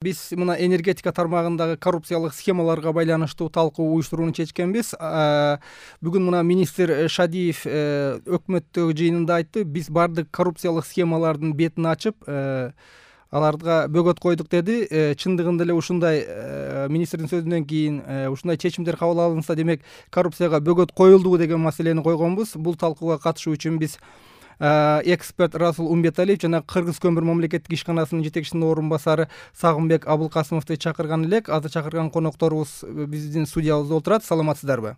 Биз мына энергетика тармагындагы коррупциялык схемаларга байланыштуу талкуу уюштурууну чечкенбиз. Бүгүн мына министр Шадиев өкмөттөгү жыйынында айтты. Биз бардык коррупциялык схемалардын бетин ачып, аларга бөгөт койдук деди. Чындыгында эле ушундай министрдин сөзүнөн кийин ушундай чечимдер кабыл алынса, демек коррупцияга бөгөт коюлдубу деген маселени койгонбуз. Бул талкууга катышуу үчүн биз эксперт Расул Умбеталиев жана Кыргыз көмүр мамлекеттик ишканасынын жетекчисинин орун басары Сагынбек Абылкасымовду чакырган элек. Азыр чакырган конокторубуз биздин студиябызда отурат. Саламатсыздарбы?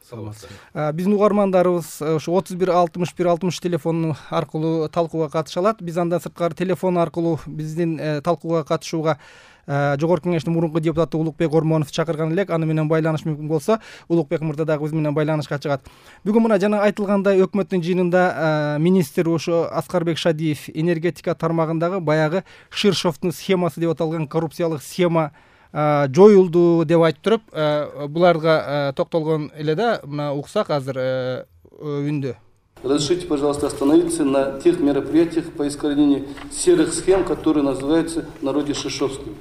Саламатсыз. Биздин угармандарыбыз ушу 31 61 60 телефону аркылуу талкууга катыша алат. Биз андан сырткары телефон аркылуу биздин талкууга катышууга Жогорку Кеңештин мурунку депутаты Улукбек Ормоновду чакырган элек. Аны менен байланыш мүмкүн болсо, Улукбек мырза дагы биз менен байланышка чыгат. Бүгүн мына жана айтылгандай өкмөттүн жыйынында министр ошо Аскарбек Шадиев энергетика тармагындагы баягы Ширшовдун схемасы деп аталган коррупциялык схема жоюлду деп айтып туруп, буларга токтолгон эле да. Мына уксак азыр үндө. Разрешите, пожалуйста, остановиться на тех мероприятиях по искоренению серых схем, которые называются в народе ширшовскими.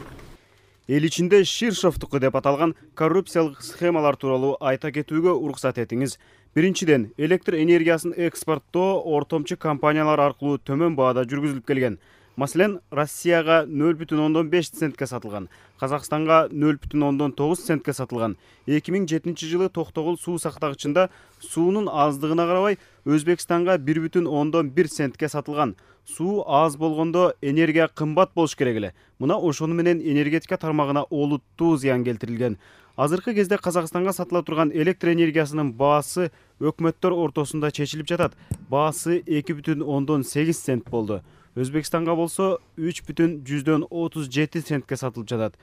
Эл ичинде Ширшовдуку деп аталган коррупциялык схемалар тууралуу айта кетүүгө уруксат этиңиз. Биринчиден, электр энергиясын экспорттоо ортомчу компаниялар аркылуу төмөн баада жүргүзүлүп келген. Маселен, Россияга 0,5 центке сатылган, Казакстанга 0,9 центке сатылган. 2007 жылы Токтогул суу сактагычында суунун аздыгына карабай Өзбекстанга 1,1 центке сатылган. Суу аз болгондо энергия кымбат болуш керек эле. Мына ошону менен энергетика тармагына олуттуу зыян келтирилген. Азыркы кезде Казакстанга сатыла турган электр энергиясынын баасы өкмөттөр ортосунда чечилип жатат. Баасы 2,8 цент болду. Өзбекстанга болсо 3,37 центке сатылып жатат.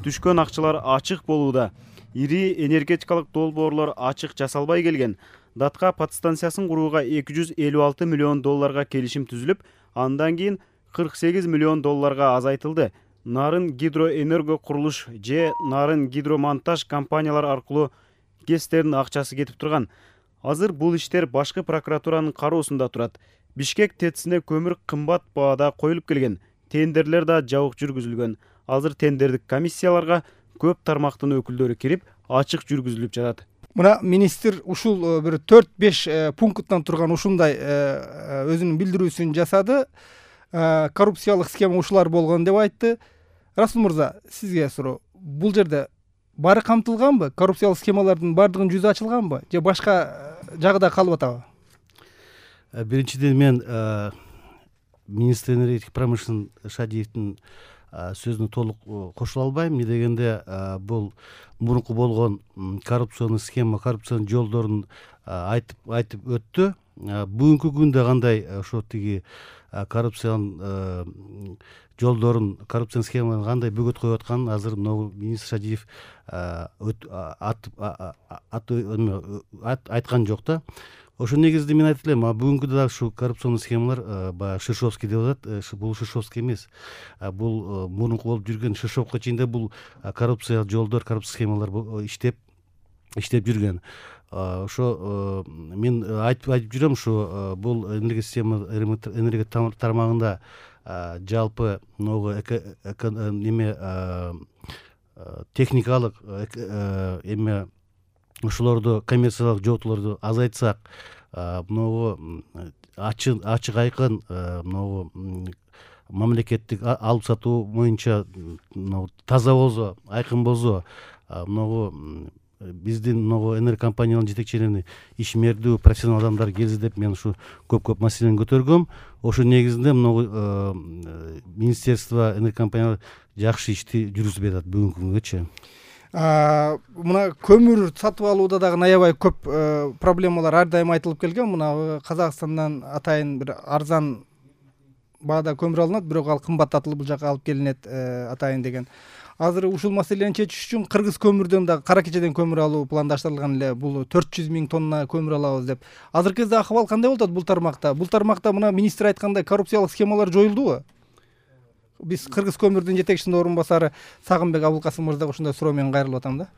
Түшкөн акчалар ачык болууда. Ири энергетикалык долбоорлор ачык жасалбай келген. Датка подстанциясын курууга 256 миллион долларга келишим түзүлүп, андан кийин 48 миллион долларга азайтылды. Нарын гидроэнерго курулуш же Нарын гидромонтаж компаниялар аркылуу ГЭСтердин акчасы кетип турган. Азыр бул иштер башкы прокуратуранын кароосунда турат. Бишкек ТЭЦине көмүр кымбат баада коюлуп келген. Тендерлер да жабык жүргүзүлгөн. Азыр тендердик комиссияларга көп тармактын өкүлдөрү кирип, ачык жүргүзүлүп жатат. Мына министр ушул бир 4-5 пункттан турган ушундай өзүнүн билдирүүсүн жасады. Коррупциялык схема ушулар болгон деп айтты. Расул мырза, сизге суроо. Бул жерде баары камтылганбы? Коррупциялык схемалардын бардыгынын жүзү ачылганбы? Же башка жагда калып атабы? Биринчиден мен министр энергетика промышленности Шадиевдин сөзүнө толук кошула албайм. Эмне дегенде бул мурунку болгон коррупциялык схема, коррупциянын жолдорун айтып өттү. Бүгүнкү күндө кандай ошо тиги коррупциянын жолдорун, коррупциянын схемаларын кандай бөгөт коюп атканын азыр могу министр Шадиев айткан жок да. Ошо негизде мен айтып элем, бүгүнкү дагы ушу коррупционный схемалар баягы Ширшовский деп атат. Бул Ширшовский эмес. Бул мурунку болуп жүргөн Ширшовко чейин бул коррупция жолдор, коррупция схемалар иштеп жүргөн. Ошо мен айтып жүрөм, ушу бул энергия тармагында жалпы могу техникалык эме ушулорду, коммерциялык жоотуулорду азайтсак, могу ачык айкын могу мамлекеттик алып сатуу боюнча таза болсо, айкын болсо, могу биздин могу энергокомпаниянын жетекчилерини ишмердүү профессионал адамдар келсе деп мен ушу көп маселени көтөргөм. Ошо негизинде могу министерство, энергокомпаниялар жакшы ишти жүргүзүп атат бүгүнкү күнгөчү. Мына көмүр сатып алууда дагы аябай көп проблемалар ар дайым айтылып келген. Мына Казакстандан атайын бир арзан баада көмүр алынат, бирок ал кымбаттатылып бул жака алып келинет атайын деген. Азыр ушул маселени чечиш үчүн Кыргыз көмүрдөн дагы Кара Кечеден көмүр алуу пландаштырылган эле. Бул 400 000 тонна көмүр алабыз деп. Азыркы кезде акыбал кандай болуп атат бул тармакта? Бул тармакта мына министр айткандай коррупциялык схемалар жоюлдубу? Биз Кыргыз көмүрдүн жетекчисинин орун басары Сагынбек Абылкасым мырзага ушундай суроо менен кайрылып атам да.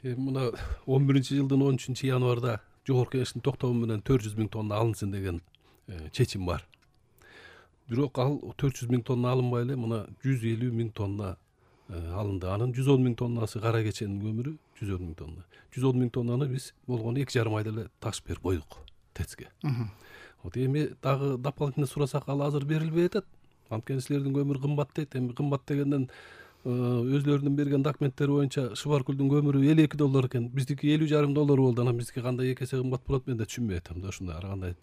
Мына 11-жылдын 13-январда Жогорку Кеңештин токтому менен 400 000 тонна алынсын деген чечим бар. бирок ал 400 миң тонна алынбай эле мына 150 миң тонна алынды. Анын 110 миң тоннасы кара кеченин көмүрү, 110 миң тонна. 110 миң тоннаны биз болгону 2,5 айда эле ташып берип койдук ТЭЦке. Вот эми дагы дополнительно сурасак ал азыр берилбей атат. Анткени силердин көмүр кымбат дейт. Эми кымбат дегенден өзлөрүнүн берген документтери боюнча Шубаркөлдүн көмүрү $52 экен. Биздики $7,5 болду. Анан биздики кандай 2 эсе кымбат болот мен да түшүнбөй атам да. Ушундай ар кандай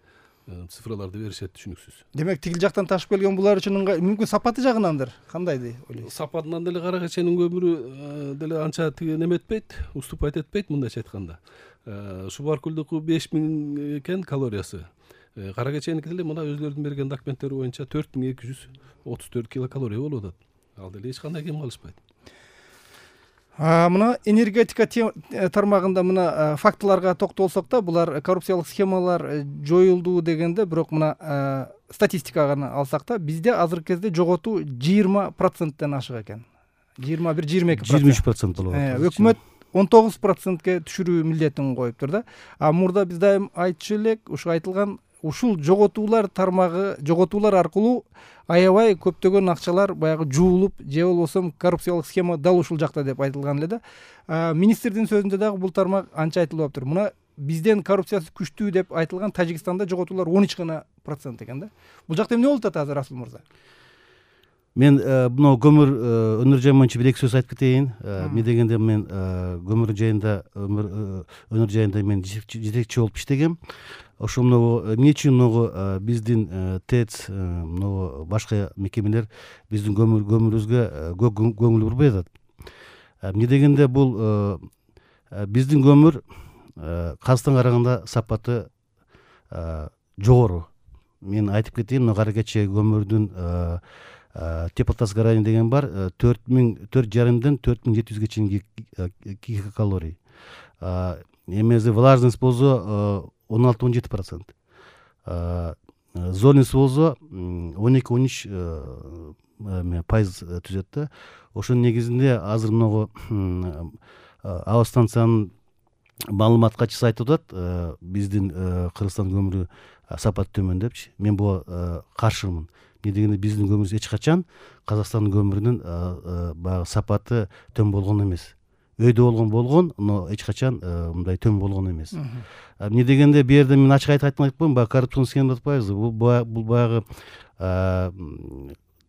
цифраларды беришет, түшүнүксүз. Демек тигил жактан ташып келген булар үчүн мүмкүн сапаты жагынандыр. Кандай деп ойлойсуз? Сапатынан деле кара кеченин көмүрү деле анча тиги неметпейт, уступать этпейт мындайча айтканда. Шубаркөлдүкү 5000 экен калориясы. Кара кеченики деле мына өзлөрүнүн берген документтери боюнча 4234 килокалория болуп атат. Ал деле эч кандай кем калышпайт. Мына энергетика тармагында мына фактыларга токтолсок да, булар коррупциялык схемалар жоюлду дегенде, бирок мына статистиканы алсак да, бизде азыркы кезде жоготуу 20%тен ашык экен. 21-22%. 23% болуп атат. Өкмөт 19%ке түшүрүү милдетин коюптур да. Мурда биз дайым айтчу элек, ушу айтылган ушул жоготуулар тармагы, жоготуулар аркылуу аябай көптөгөн акчалар баягы жуулуп, же болбосо коррупциялык схема дал ушул жакта деп айтылган эле да. Министрдин сөзүндө дагы бул тармак анча айтылып атыптыр. Мына бизден коррупциясы күчтүү деп айтылган Тажикстанда жоготуулар 13% экен да. Бул жакта эмне болуп атат азыр, Расул мырза? Мен мына көмүр өнөр жайы боюнча бир эки сөз айтып кетейин. Эмне дегенде мен көмүр жайында, өнөр жайында мен жетекчи болуп иштегем. Ошо эмне үчүн биздин ТЭЦ, башка мекемелер биздин көмүрүбүзгө көңүл бурбай атат. Эмне дегенде бул биздин көмүр Казакстанга караганда сапаты жогору. Мен айтып кетейин, кара кече көмүрдүн теплотазгорание деген бар, 4,5-ден 4700 чейинки килокалорий. Эмеси влажность болсо 16-17%. Зольность болсо 12-13% түзөт да. Ошонун негизинде азыр аба станциянын маалымат катчысы айтып атат, биздин Кыргызстан көмүрү сапаты төмөн депчи. Мен буга каршымын. Эмне дегенде биздин көмүрүбүз эч качан Казакстандын көмүрүнүн баягы сапаты төмөн болгон эмес. Өйдө болгон, но эч качан мындай төмөн болгон эмес. Эмне дегенде бу жерде мен ачык айтып коеюн, баягы коррупцион схема деп атпайбызбы. Бул баягы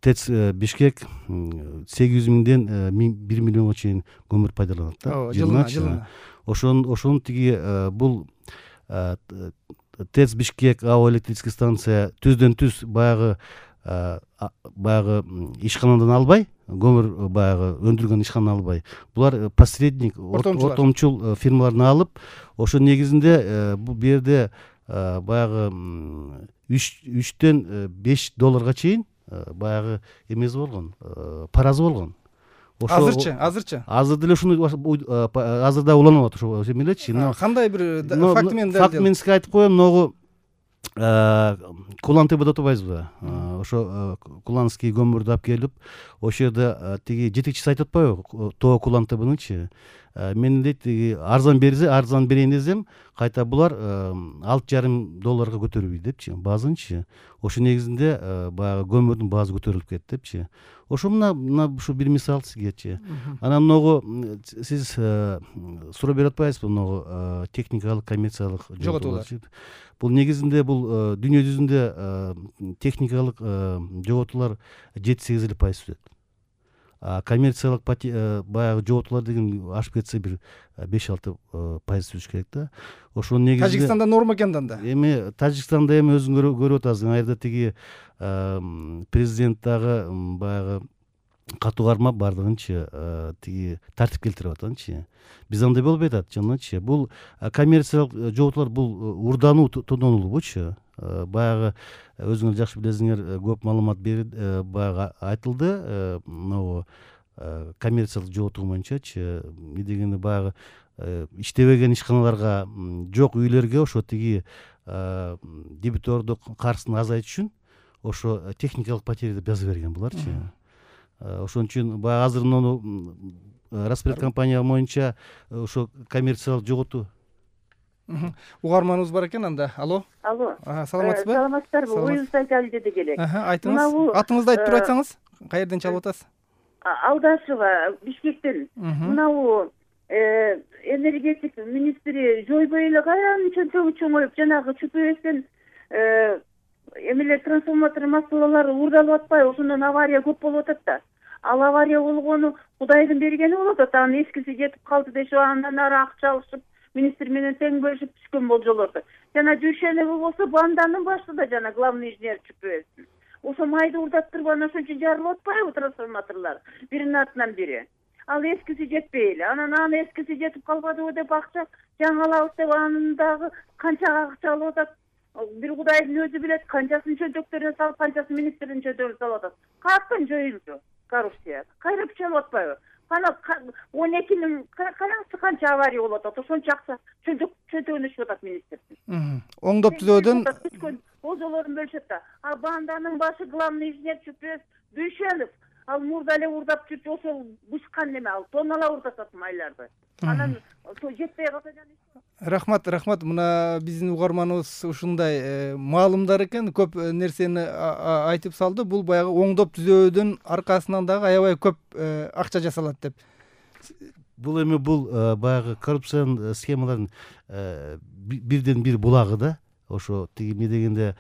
ТЭЦ Бишкек 800 миңден 1 миллионго чейин көмүр пайдаланат да. Жылына. Ошонун тиги бул ТЭЦ Бишкек АО электрический станция түздөн түз баягы ишканадан албай, көмүр баягы өндүргөн ишканадан албай. Булар посредник, ортомчул фирмаларды алып, ошо негизинде бул жерде баягы $3-ден $5 чейин баягы эмеси болгон, паразы болгон. Азырчы? Азыр деле ушуну азыр да уланып атат ошо эмелечи. Кандай бир факт менен дал. Факт менен сизге айтып коем, Кулан-ТБ деп атпайбызбы? Ошо Куланский көмүрдү алып келип, ошо жерде тиги жетекчиси айтып атпайбы, ТО Кулан-ТБныңчы. Мен дейт, арзан берейин десем, кайта булар $6,5 көтөрүлбөйт депчи, базынчы. Ошо негизинде баягы көмүрдүн баазы көтөрүлүп кетти депчи. Ошо мына ушу бир мисал сизгечи. Анан сиз суроо берип атпайсызбы, техникалык, коммерциялык жоготуулар. Бул негизинде бул дүйнө жүзүндө техникалык жоготуулар 7-8% түзөт. Коммерциялык баягы жоготуулар деген ашып кетсе бир 5-6% түзүш керек да. Ошонун негизинде Тажикстанда норма экен да. Эми Тажикстанда өзүң көрүп атасың, айда тиги президент дагы баягы катуу кармап бардыгынчы тиги тартип келтирип атанчы. Биз андай болбой атат жаначы. Бул коммерциялык жоготуулар бул урдануу, тонолуучу. Баягы өзүңөр жакшы билесиңер, көп маалымат баягы айтылды. Коммерциялык жоготуу боюнчачы. Эмне дегенде баягы иштебеген ишканаларга, жок үйлөргө ошо тиги дебитордук каржысын азайтыш үчүн ошо техникалык потеря деп жазып берген буларчы. Ошон үчүн баягы азыр Распред компания боюнча ошо коммерциялык жоготуу Угарманыбыз бар экен анда. Алло. Саламатсызбы? Саламатсыздарбы? Оюңузду айталы деди элек. Айтыңыз. Атыңызды айтып туруп айтсаңыз, каерден чалып атасыз? Алдашева, Бишкектен. Мынабу энергетика министри жойбой эле канча чоңоюп, жанагы чүпөбөстөн эмелер трансформатор массалары уурдалып атпайбы? Ошондон авария көп болуп атат да. Ал авария болгону Кудайдын бергени болуп атат. Анын эскиси жетип калды дешип, андан ары акча алышып, министр менен тең бөлүшүп түшкөн болжолорду. Жана Дүйшенеби болсо банданын башында жана главный инженер чүпөбөстүн. Ошо майды уурдап туруп анан ошончо жарылып атпайбы трансформаторлор биринин артынан бири. Ал эскиси жетпей эле. Анан эскиси жетип калбадыбы деп акча жаңалабыз деп анын дагы канча акча алып атат. Бир Кудайдын өзү билет, канчасын чөнтөктөрүнө салып, канчасын министрдин чөнтөгүнө салып атат. Каяктан жоюлду коррупция? Кайра чалып атпайбы? Кана 12-нин канасы канча авария болуп атат? Ошончо акча чөнтөгүнө түшүп атат министрдин. Оңдоп түзөөдөн болжолорун бөлүшөт да. А банданын башы главный инженер чүпөс Дүйшенов. Ал мурда эле уурдап жүрчү, ошол бушкан неме ал тоннала уурдатат майларды. Анан жетпей калса Рахмат. Мына биздин угарманыбыз ушундай маалымдар экен, көп нерсени айтып салды. Бул баягы оңдоп түзөөдүн аркасынан дагы аябай көп акча жасалат деп. Бул эми баягы коррупциянын схемалардын бирден бир булагы да. Ошо тиги эмне дегенде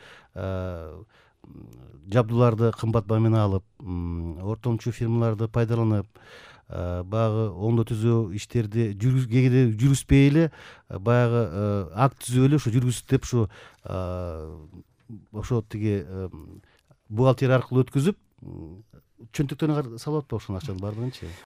жабдууларды кымбат баа менен алып, ортомчу фирмаларды пайдаланып, баягы оңдоо түзөө иштерди кээде жүргүзбөй эле, баягы акт түзүп эле ошо жүргүзүп деп ошо тиги бухгалтерия аркылуу өткүзүп, чөнтөктөрүнө салып атпайбы ошонун акчанын баардыгынчы?